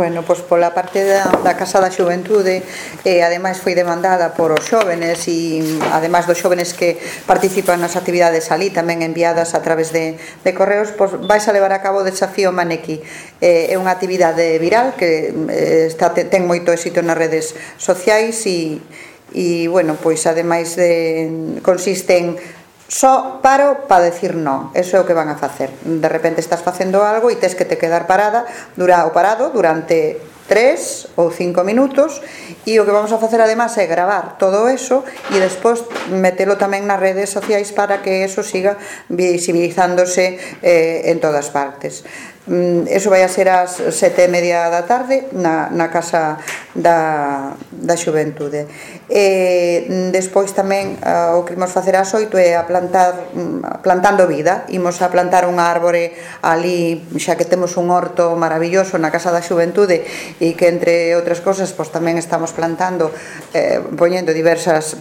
Bueno, pois pola parte da Casa da Xuventude, ademais foi demandada por os xóvenes e ademais dos xóvenes que participan nas actividades ali, tamén enviadas a través de correos, pois vais a levar a cabo o desafío Manequi. É unha actividade viral que ten moito éxito nas redes sociais e bueno, pois ademais consiste en só paro para decir non. Eso é o que van a facer. De repente estás facendo algo e tes que te quedar parado durante 3 ou 5 minutos, e o que vamos a facer además é gravar todo eso e despois metelo tamén nas redes sociais para que eso siga visibilizándose en todas partes. Eso vai a ser ás 7:30 da tarde na Casa da Xuventude. Despois tamén o que imos facer ás 8 é plantando vida. Imos a plantar unha árbore ali, xa que temos un horto maravilloso na Casa da Xuventude e que entre outras cosas pois tamén estamos plantando, poñendo diversas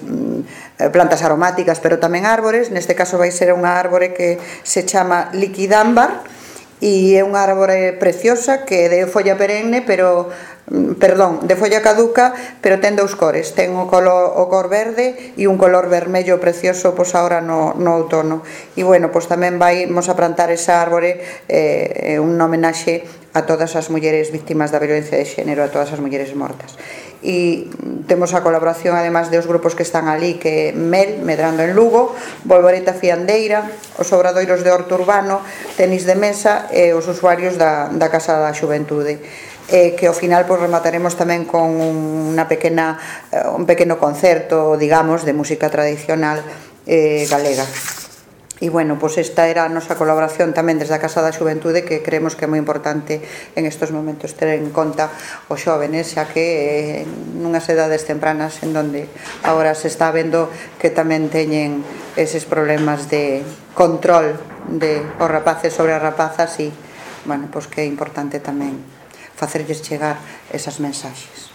plantas aromáticas, pero tamén árbores. Neste caso vai ser unha árbore que se chama liquidámbar e é unha árbore preciosa que é de folla perenne, de folla caduca, pero ten dous cores, ten o cor verde e un color vermello precioso pois agora no outono. E bueno, pois tamén vamos a plantar esa árbore un homenaxe a todas as mulleres víctimas da violencia de xénero, a todas as mulleres mortas. E temos a colaboración además dos grupos que están ali, que é MEL, Medrando en Lugo, Volvoreta Fiandeira, os obradoiros de Horto Urbano, Tenis de Mesa e os usuarios da Casa da Xuventude, que ao final remataremos tamén con un pequeno concerto, digamos, de música tradicional galega. E bueno, pois esta era a nosa colaboración tamén desde a Casa da Xuventude, que creemos que é moi importante en estes momentos ter en conta os xóvenes, xa que nunhas edades tempranas en donde agora se está vendo que tamén teñen eses problemas de control de os rapaces sobre as rapazas, e bueno, pois que é importante tamén facerlles chegar esas mensaxes.